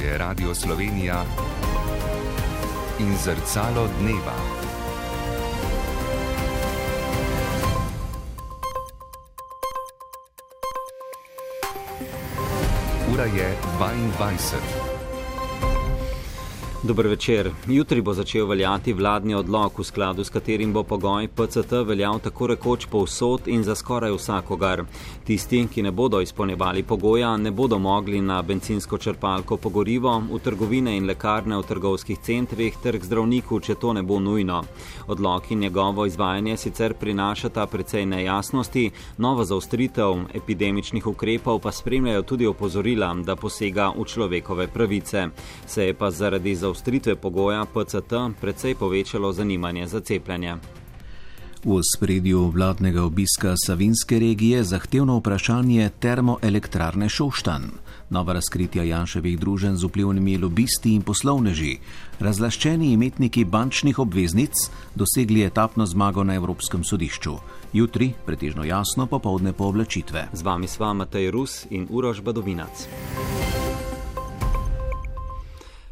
je Radio Slovenija in Zrcalo dneva. Ura je 22. Dober večer. Jutri bo začel veljati vladni odlok, v skladu s katerim bo pogoj PCT veljal tako rekoč povsod in za skoraj vsakogar. Tisti, ki ne bodo izpolnjevali pogoja, ne bodo mogli na bencinsko črpalko po gorivo, v trgovine in lekarne v trgovskih centrih ter k zdravniku, če to ne bo nujno. Odlok in njegovo izvajanje sicer prinašata precej nejasnosti, nova zaostritev epidemičnih ukrepov pa spremljajo tudi opozorila, da posega v človekove pravice. Se je pa zaradi zaostritve pogoja PCT precej povečalo zanimanje za cepljenje. V ospredju vladnega obiska Savinjske regije zahtevno vprašanje termoelektrarne Šoštanj, nova razkritja Janševih druženj z vplivnimi lobisti in poslovneži, razlaščeni imetniki bančnih obveznic dosegli etapno zmago na Evropskem sodišču. Jutri pretežno jasno, popoldne povlačitve. Z vami sva Matej Rus in Uroš Badovinac.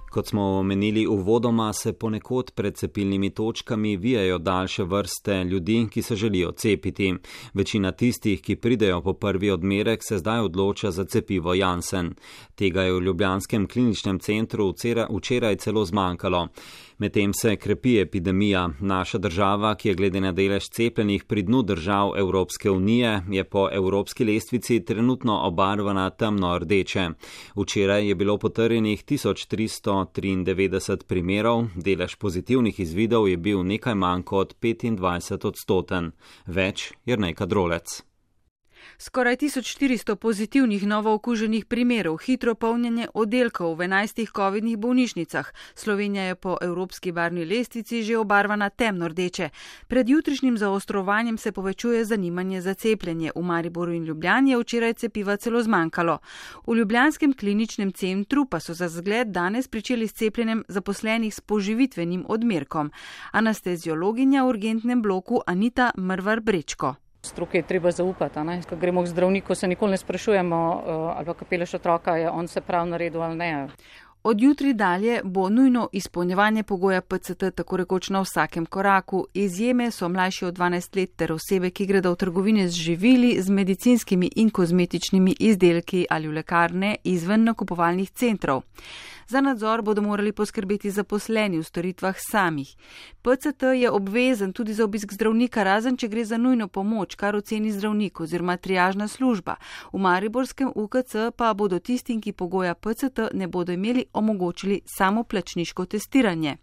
Kot smo omenili uvodoma, se ponekod pred cepilnimi točkami vijajo daljše vrste ljudi, ki se želijo cepiti. Večina tistih, ki pridejo po prvi odmerek, se zdaj odloča za cepivo Janssen. Tega je v ljubljanskem kliničnem centru včeraj celo zmanjkalo. Medtem se krepi epidemija. Naša država, ki je glede na delež cepljenih pri dnu držav Evropske unije, je po evropski lestvici trenutno obarvana temno rdeče. Včeraj je bilo potrjenih 1393 primerov, delež pozitivnih izvidov je bil nekaj manj kot 25%. Več Jernej Kadrolec. Skoraj 1400 pozitivnih novookuženih primerov, hitro polnjenje oddelkov v 11 covidnih bolnišnicah. Slovenija je po evropski barvni lestvici že obarvana temno rdeče. Pred jutrišnjim zaostrovanjem se povečuje zanimanje za cepljenje. V Mariboru in Ljubljani je včeraj cepiva celo zmanjkalo. V ljubljanskem kliničnem centru pa so za zgled danes pričeli s cepljenjem zaposlenih s poživitvenim odmerkom. Anesteziologinja v urgentnem bloku Anita Mrvar-Brečko. Stroke je treba zaupati. Ko gremo k zdravniku, se nikoli ne sprašujemo, ali pa kapeleš otroka, je on se prav naredil ali ne. Od jutri dalje bo nujno izpolnjevanje pogoja PCT tako rekoč na vsakem koraku. Izjeme so mlajši od 12 let ter osebe, ki gredo v trgovine z živili, z medicinskimi in kozmetičnimi izdelki ali v lekarne izven nakupovalnih centrov. Za nadzor bodo morali poskrbeti zaposleni v storitvah samih. PCT je obvezen tudi za obisk zdravnika, razen če gre za nujno pomoč, kar oceni zdravnik oziroma triažna služba. V mariborskem UKC pa bodo tistim, ki pogoja PCT ne bodo imeli, omogočili samoplačniško testiranje.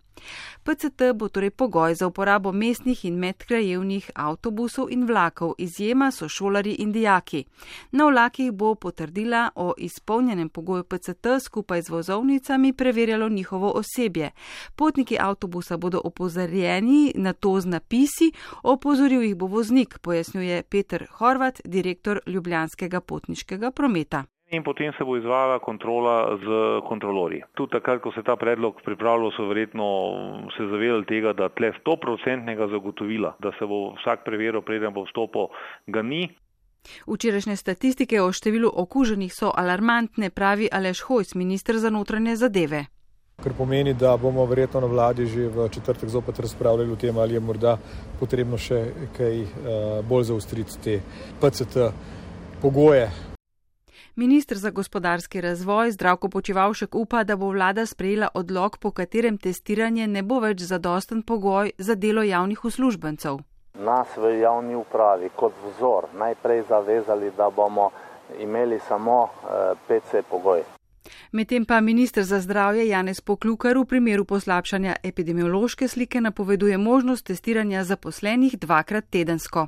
PCT bo torej pogoj za uporabo mestnih in medkrajevnih avtobusov in vlakov, izjema so šolarji in dijaki. Na vlakih bo potrdila o izpolnjenem pogoju PCT skupaj z vozovnicami preverjalo njihovo osebje. Potniki avtobusa bodo opozorjeni na to z napisi, opozoril jih bo voznik, pojasnjuje Peter Horvat, direktor Ljubljanskega potniškega prometa. In potem se bo izvajala kontrola z kontrolorji. Tudi takrat, ko se ta predlog pripravljal, so verjetno se zavedali tega, da tle 100% zagotovila, da se bo vsak preveril, preden bo vstopil, ga ni. Včerajšnje statistike o številu okuženih so alarmantne, pravi Aleš Hojs, minister za notranje zadeve. Kar pomeni, da bomo verjetno na vladi že v četrtek zopet razpravljali o tem, ali je morda potrebno še kaj bolj zaostriti te PCT pogoje. Minister za gospodarski razvoj Zdravko Počivalšek upa, da bo vlada sprejela odlok, po katerem testiranje ne bo več zadosten pogoj za delo javnih uslužbencev. Nas v javni upravi kot vzor najprej zavezali, da bomo imeli samo PC pogoj. Medtem pa minister za zdravje Janez Poklukar v primeru poslabšanja epidemiološke slike napoveduje možnost testiranja zaposlenih 2-krat tedensko.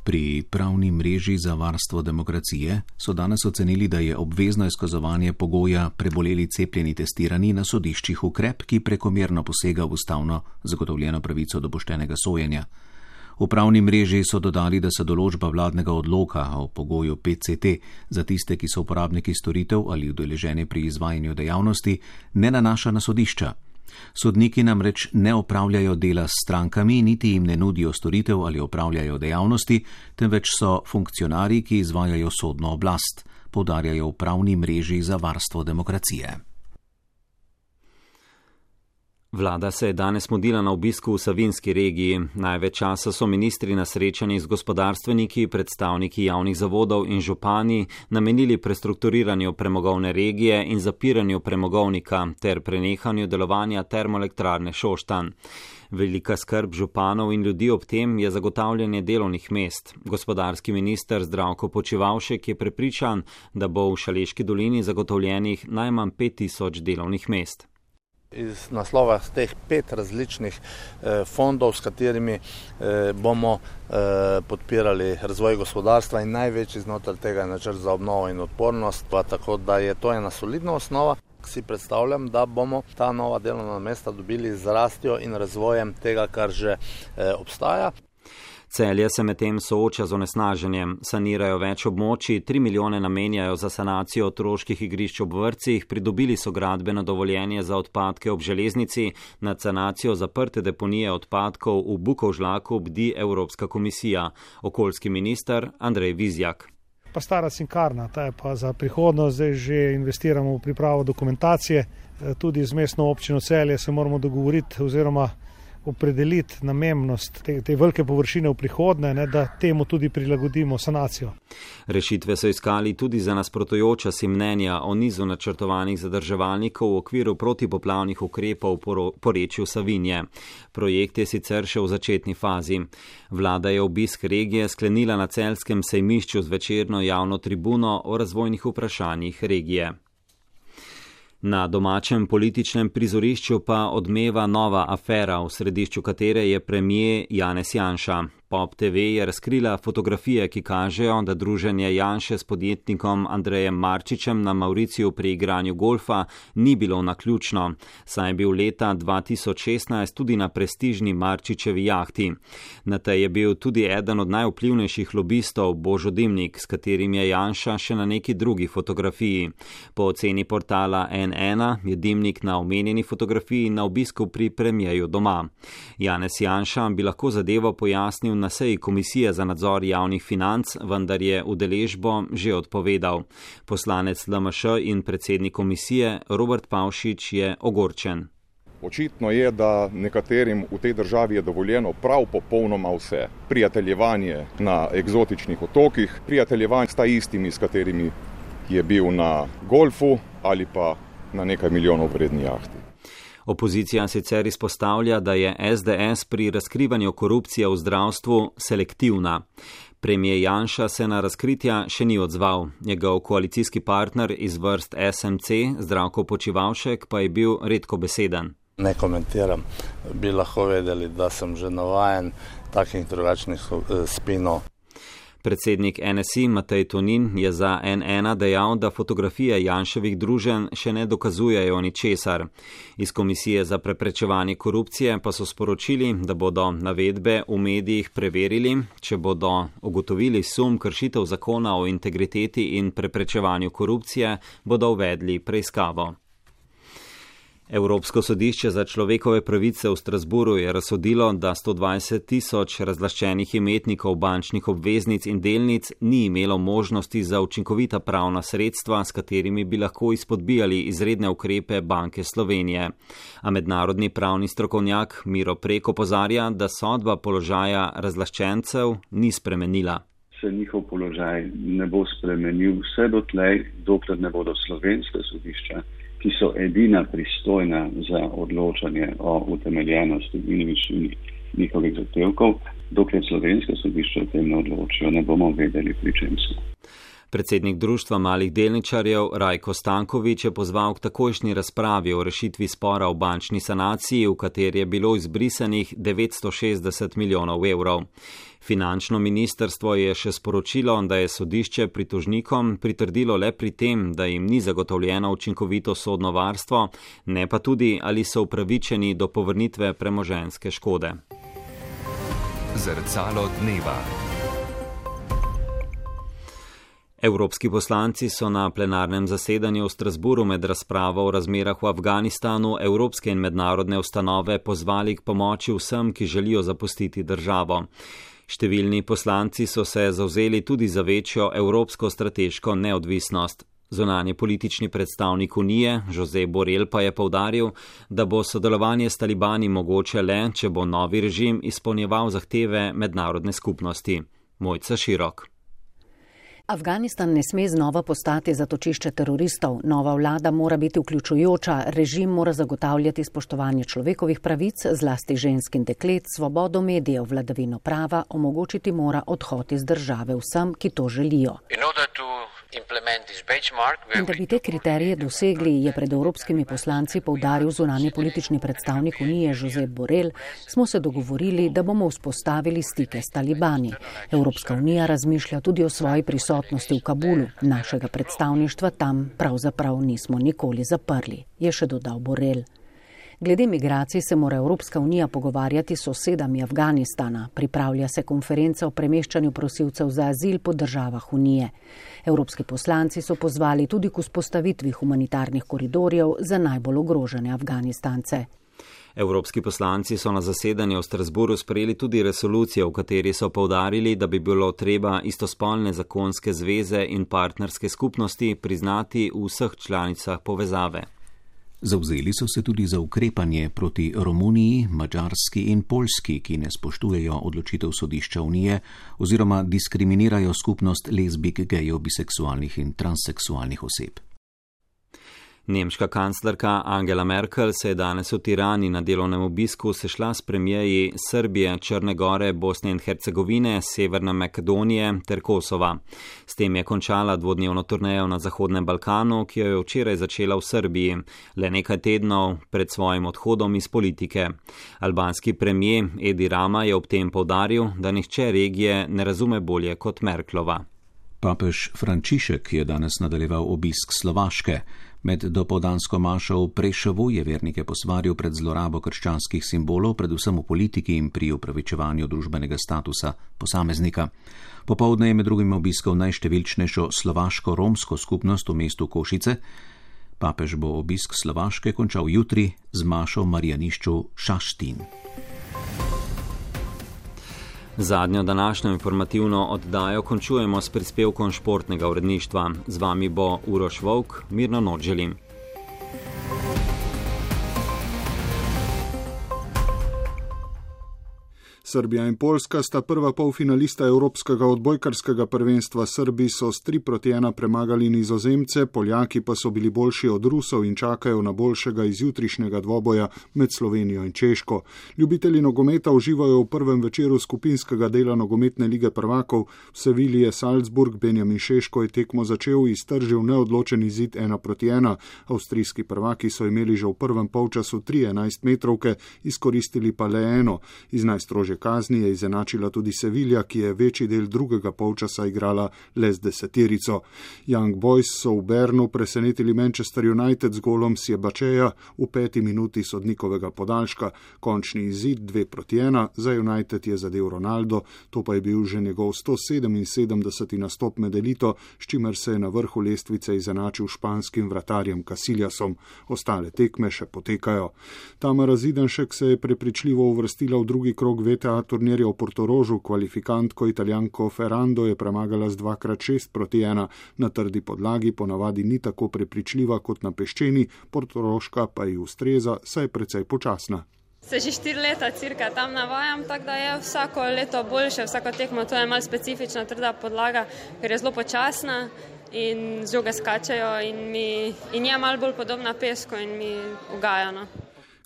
Pri pravni mreži za varstvo demokracije so danes ocenili, da je obvezno izkazovanje pogoja preboleli cepljeni testirani na sodiščih ukrep, ki prekomerno posega v ustavno zagotovljeno pravico do poštenega sojenja. V pravni mreži so dodali, da se določba vladnega odloka o pogoju PCT za tiste, ki so uporabniki storitev ali udeleženi pri izvajanju dejavnosti, ne nanaša na sodišča. Sodniki namreč ne opravljajo dela s strankami, niti jim ne nudijo storitev ali opravljajo dejavnosti, temveč so funkcionarji, ki izvajajo sodno oblast. poudarjajo v pravni mreži za varstvo demokracije. Vlada se je danes mudila na obisku v Savinjski regiji. Največ časa so ministri na srečanjih z gospodarstveniki, predstavniki javnih zavodov in župani namenili prestrukturiranju premogovne regije in zapiranju premogovnika ter prenehanju delovanja termoelektrarne Šoštanj. Velika skrb županov in ljudi ob tem je zagotavljanje delovnih mest. Gospodarski minister Zdravko Počivalšek je prepričan, da bo v Šaleški dolini zagotovljenih najmanj 5000 delovnih mest. Iz naslova teh 5 različnih fondov, s katerimi bomo podpirali razvoj gospodarstva in največji znotraj tega je načrt za obnovo in odpornost, pa tako da je to ena solidna osnova. Si predstavljam, da bomo ta nova delovna mesta dobili z rastjo in razvojem tega, kar že obstaja. Celje se medtem sooča z onesnaženjem. Sanirajo več območij, 3 milijone namenjajo za sanacijo otroških igrišč ob vrtcih, pridobili so gradbeno dovoljenje za odpadke ob železnici, nad sanacijo zaprte deponije odpadkov v Bukovžlaku bdi Evropska komisija. Okoljski minister Andrej Vizjak. Pa stara cinkarna, ta je pa za prihodnost, zdaj že investiramo v pripravo dokumentacije, tudi z mestno občino Celje se moramo dogovoriti oziroma opredeliti namembnost te velike površine v prihodnje, da temu tudi prilagodimo sanacijo. Rešitve so iskali tudi za nasprotujoča si mnenja o nizu načrtovanih zadrževalnikov v okviru protipoplavnih ukrepov v porečju Savinje. Projekt je sicer še v začetni fazi. Vlada je obisk regije sklenila na celjskem sejmišču z večerno javno tribuno o razvojnih vprašanjih regije. Na domačem političnem prizorišču pa odmeva nova afera, v središču katere je premier Janez Janša. Pop TV je razkrila fotografije, ki kažejo, da druženje Janše s podjetnikom Andrejem Marčičem na Mauriciju pri igranju golfa ni bilo naključno, saj je bil leta 2016 tudi na prestižni Marčičevi jahti. Na tej je bil tudi eden od najvplivnejših lobistov Božo Dimnik, s katerim je Janša še na neki drugi fotografiji. Po oceni portala N1 je Dimnik na omenjeni fotografiji na obisku pri premierju doma. Janez Janša bi lahko zadevo pojasnil na seji Komisije za nadzor javnih financ, vendar je udeležbo že odpovedal. Poslanec LMŠ in predsednik komisije Robert Pavšič je ogorčen. Očitno je, da nekaterim v tej državi je dovoljeno prav popolnoma vse. Prijateljevanje na eksotičnih otokih, prijateljevanje s istimi, s katerimi je bil na golfu ali pa na nekaj milijonov vredni jahti. Opozicija sicer izpostavlja, da je SDS pri razkrivanju korupcije v zdravstvu selektivna. Premier Janša se na razkritja še ni odzval. Njegov koalicijski partner iz vrst SMC, Zdravko Počivalšek, pa je bil redkobeseden. Ne komentiram, bi lahko vedeli, da sem že navajen takih drugačnih spinov. Predsednik NSI Matej Tonin je za N1 dejal, da fotografije Janševih druženj še ne dokazujejo ničesar. Iz Komisije za preprečevanje korupcije pa so sporočili, da bodo navedbe v medijih preverili, če bodo ugotovili sum kršitev zakona o integriteti in preprečevanju korupcije, bodo uvedli preiskavo. Evropsko sodišče za človekove pravice v Strasburu je razsodilo, da 120 000 razlaščenih imetnikov bančnih obveznic in delnic ni imelo možnosti za učinkovita pravna sredstva, s katerimi bi lahko izpodbijali izredne ukrepe Banke Slovenije. A mednarodni pravni strokovnjak Miro Prek opozarja, da sodba položaja razlaščencev ni spremenila. Se njihov položaj ne bo spremenil vse dotlej, dokler ne bodo slovenske sodišča, ki so edina pristojna za odločanje o utemeljenosti in višini njihovih zahtevkov, dokler slovenske sodišče o tem ne odločijo, ne bomo vedeli, pri čem so. Predsednik Društva malih delničarjev Rajko Stanković je pozval k takojšnji razpravi o rešitvi spora o bančni sanaciji, v kateri je bilo izbrisanih 960 milijonov evrov. Finančno ministrstvo je še sporočilo, da je sodišče pritožnikom pritrdilo le pri tem, da jim ni zagotovljeno učinkovito sodno varstvo, ne pa tudi, ali so upravičeni do povrnitve premoženjske škode. Zrcalo dneva. Evropski poslanci so na plenarnem zasedanju v Strasburu med razpravo o razmerah v Afganistanu evropske in mednarodne ustanove pozvali k pomoči vsem, ki želijo zapustiti državo. Številni poslanci so se zavzeli tudi za večjo evropsko strateško neodvisnost. Zunanji politični predstavnik Unije, Josep Borrell, pa je poudaril, da bo sodelovanje s talibani mogoče le, če bo novi režim izpolnjeval zahteve mednarodne skupnosti. Mojca Širok. Afganistan ne sme znova postati zatočišče teroristov. Nova vlada mora biti vključujoča, režim mora zagotavljati spoštovanje človekovih pravic, zlasti žensk in deklet, svobodo medijev, vladavino prava, omogočiti mora odhod iz države vsem, ki to želijo. In da bi te kriterije dosegli, je pred evropskimi poslanci poudaril zunanji politični predstavnik Unije Josep Borrell, smo se dogovorili, da bomo vzpostavili stike s talibani. Evropska unija razmišlja tudi o svoji prisotnosti v Kabulu. Našega predstavništva tam pravzaprav nismo nikoli zaprli, je še dodal Borrell. Glede migracij se mora Evropska unija pogovarjati s sosedami Afganistana. Pripravlja se konferenca o premeščanju prosilcev za azil po državah unije. Evropski poslanci so pozvali tudi k vzpostavitvi humanitarnih koridorjev za najbolj ogrožene Afganistance. Evropski poslanci so na zasedanju v Strasburu sprejeli tudi resolucijo, v kateri so poudarili, da bi bilo treba istospolne zakonske zveze in partnerske skupnosti priznati v vseh članicah povezave. Zavzeli so se tudi za ukrepanje proti Romuniji, Madžarski in Poljski, ki ne spoštujejo odločitev sodišča Unije oziroma diskriminirajo skupnost lezbik, gejev, biseksualnih in transseksualnih oseb. Nemška kanclerka Angela Merkel se je danes v Tirani na delovnem obisku sešla s premierji Srbije, Črne Gore, Bosne in Hercegovine, Severne Makedonije ter Kosova. S tem je končala dvodnevno turnejo na Zahodnem Balkanu, ki jo je včeraj začela v Srbiji, le nekaj tednov pred svojim odhodom iz politike. Albanski premijer Edi Rama je ob tem poudaril, da nihče regije ne razume bolje kot Merklova. Papež Frančišek je danes nadaljeval obisk Slovaške. Med dopoldansko mašo v Preševu je vernike posvaril pred zlorabo krščanskih simbolov, predvsem v politiki in pri upravičevanju družbenega statusa posameznika. Popoldne je med drugim obiskal najštevilčnejšo slovaško-romsko skupnost v mestu Košice. Papež bo obisk Slovaške končal jutri z mašo v Marijanišču Šaštín. Zadnjo današnjo informativno oddajo končujemo s prispevkom športnega uredništva. Z vami bo Uroš Volk, mirno noč želim. Srbija in Poljska sta prva polfinalista Evropskega odbojkarskega prvenstva. Srbi so s 3-1 premagali Nizozemce, Poljaki pa so bili boljši od Rusov in čakajo na boljšega izjutrišnjega dvoboja med Slovenijo in Češko. Ljubitelji nogometa uživajo v prvem večeru skupinskega dela nogometne lige prvakov. V Sevilji je Salzburg, Benjamin Šeško je tekmo začel in iztržil neodločen izid 1-1. Avstrijski prvaki so imeli že v prvem polčasu 3 11-metrovke, izkoristili pa le eno. Iz najstrožje kazni je izenačila tudi Sevilja, ki je večji del drugega polčasa igrala le z 10. Young Boys so v Bernu presenetili Manchester United z golom Sjebačeja v 5. minuti sodnikovega podaljška. Končni izid 2-1, za United je zadel Ronaldo, to pa je bil že njegov 177. nastop med elito, s čimer se je na vrhu lestvice izenačil španskim vratarjem Casiljasom. Ostale tekme še potekajo. Tamara Zidanšek se je prepričljivo uvrstila v drugi krog VTA turnirja v Portorožu. Kvalifikantko Italijanko Ferrando je premagala z 2x6-1. Na trdi podlagi ponavadi ni tako prepričljiva kot na peščeni, Portoroška pa ji ustreza, saj je precej počasna. Se že 4 leta cirka tam navajam, tako da je vsako leto boljše, vsako tekmo, to je malo specifična trda podlaga, ker je zelo počasna in z joge skačejo in je malo bolj podobna pesku in mi ugaja. No.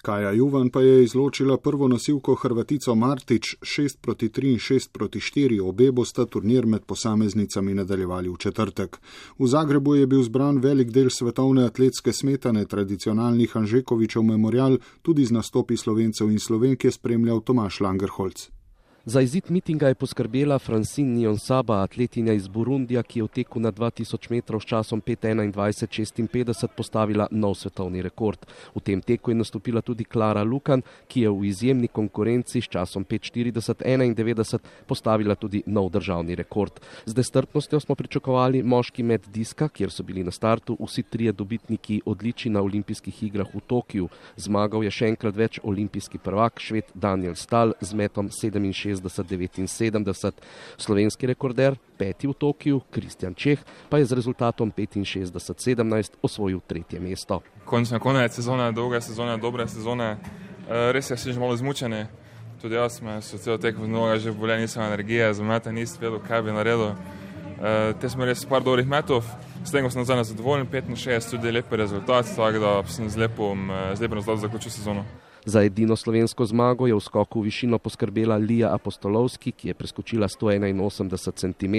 Kaja Juvan pa je izločila prvo nosilko Hrvatico Martić 6-3 in 6-4. Obe bosta turnir med posameznicami nadaljevali v četrtek. V Zagrebu je bil zbran velik del svetovne atletske smetane, tradicionalni Hanžekovičev memorial, tudi z nastopi Slovencev in Slovenk je spremljal Tomaž Langerholz. Za izid mitinga je poskrbela Francine Niyonsaba, atletinja iz Burundija, ki je v teku na 2000 metrov s časom 5:21:56 postavila nov svetovni rekord. V tem teku je nastopila tudi Klara Lukan, ki je v izjemni konkurenci s časom 5:40:91 postavila tudi nov državni rekord. Z nestrpnostjo smo pričakovali moški med diska, kjer so bili na startu vsi trije dobitniki odličij na olimpijskih igrah v Tokiju. Zmagal je še enkrat več olimpijski prvak, Šved Daniel Stahl z metom 67 65-79. Slovenski rekorder, 5. v Tokiu, Kristjan Čeh, pa je z rezultatom 65-17 osvojil 3. mesto. Konec sezone, dolga sezona, dobre sezone. Res je, že malo izmučeni. Tudi jaz sem se celo tekmo mnogo že bolje, nisem energije, za meta nisem vedel, kaj bi naredil. Te smo res par dobrih metov, s tem sem nazaj zadovoljen, 65, tudi lepi rezultat, tako da sem z lepim rezultatom zaključil sezono. Za edino slovensko zmago je v skoku v višino poskrbela Lija Apostolovski, ki je preskočila 181 cm.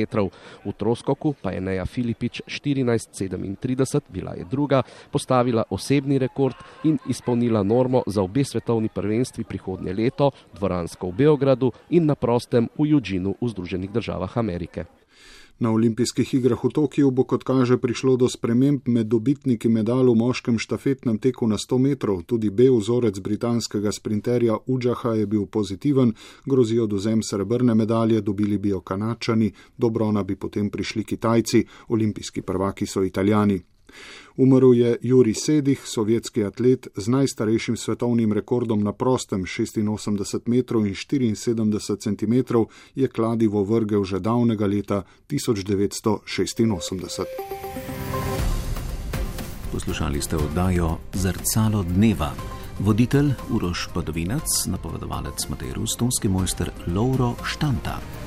V troskoku pa je Neja Filipič 14,37, bila je druga, postavila osebni rekord in izpolnila normo za obe svetovni prvenstvi prihodnje leto, dvoransko v Beogradu in na prostem v Eugenu v Združenih državah Amerike. Na olimpijskih igrah v Tokiju bo, kot kaže, prišlo do sprememb med dobitniki medalj v moškem štafetnem teku na 100 metrov. Tudi B vzorec britanskega sprinterja Udžaha je bil pozitiven, grozi odvzem srebrne medalje, dobili bi jo Kanačani, do brona bi potem prišli Kitajci, olimpijski prvaki so Italijani. Umrl je Jurij Sedih, sovjetski atlet z najstarejšim svetovnim rekordom na prostem 86 metrov in 74 centimetrov, je kladivo vrgel že davnega leta 1986. Poslušali ste oddajo Zrcalo dneva. Voditelj Uroš Padovinac, napovedovalec Matej Rus, tonski mojster Lovro Štanta.